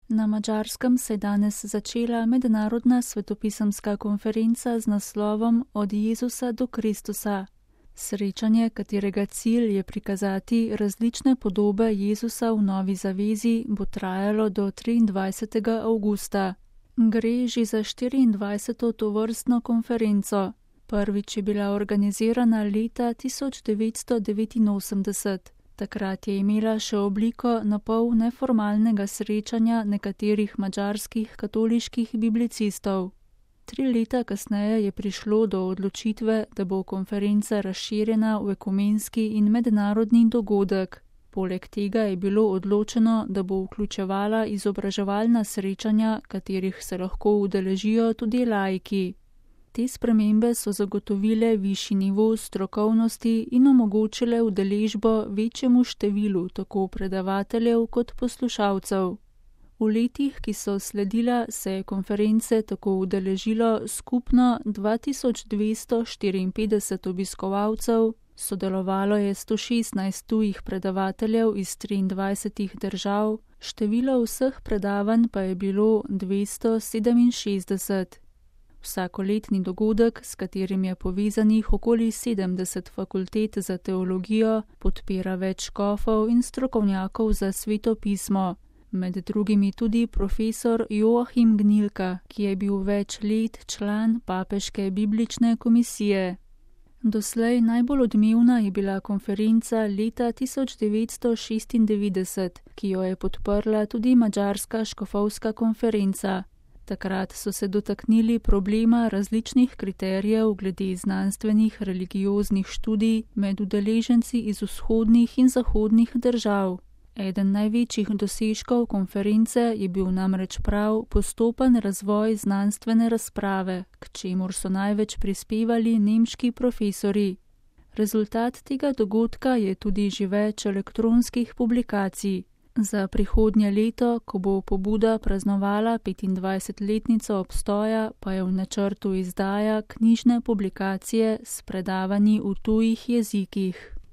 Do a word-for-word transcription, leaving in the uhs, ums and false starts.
Na Madžarskem se je danes začela mednarodna svetopisemska konferenca z naslovom Od Jezusa do Kristusa. Srečanje, katerega cilj je prikazati različne podobe Jezusa v Novi zavezi, bo trajalo do triindvajsetega avgusta. Gre že za štiriindvajseto tovrstno konferenco. Prvič je bila organizirana leta tisoč devetsto devetinosemdeset. Takrat je imela še obliko napol neformalnega srečanja nekaterih madžarskih katoliških biblicistov. Tri leta kasneje je prišlo do odločitve, da bo konferenca razširjena v ekumenski in mednarodni dogodek. Poleg tega je bilo odločeno, da bo vključevala izobraževalna srečanja, katerih se lahko udeležijo tudi laiki. Te spremembe so zagotovile višji nivo strokovnosti in omogočile udeležbo večjemu številu tako predavateljev kot poslušalcev. V letih, ki so sledila, se je konference tako udeležilo skupno dva tisoč dvesto štiriinpetdeset obiskovalcev, sodelovalo je sto šestnajst tujih predavateljev iz triindvajsetih držav, število vseh predavanj pa je bilo dvesto sedeminšestdeset. Vsakoletni dogodek, s katerim je povezanih okoli sedemdeset fakultet za teologijo, podpira več škofov in strokovnjakov za sveto pismo, med drugimi tudi profesor Joachim Gnilka, ki je bil več let član papeške biblične komisije. Doslej najbolj odmevna je bila konferenca leta tisoč devetsto šestindevetdeset, ki jo je podprla tudi Madžarska škofovska konferenca. Takrat so se dotaknili problema različnih kriterijev glede znanstvenih religioznih študij med udeleženci iz vzhodnih in zahodnih držav. Eden največjih dosežkov konference je bil namreč prav postopen razvoj znanstvene razprave, k čemur so največ prispevali nemški profesorji. Rezultat tega dogodka je tudi že več elektronskih publikacij. Za prihodnje leto, ko bo pobuda praznovala petindvajsetletnico obstoja, pa je v načrtu izdaja knjižne publikacije s predavanji v tujih jezikih.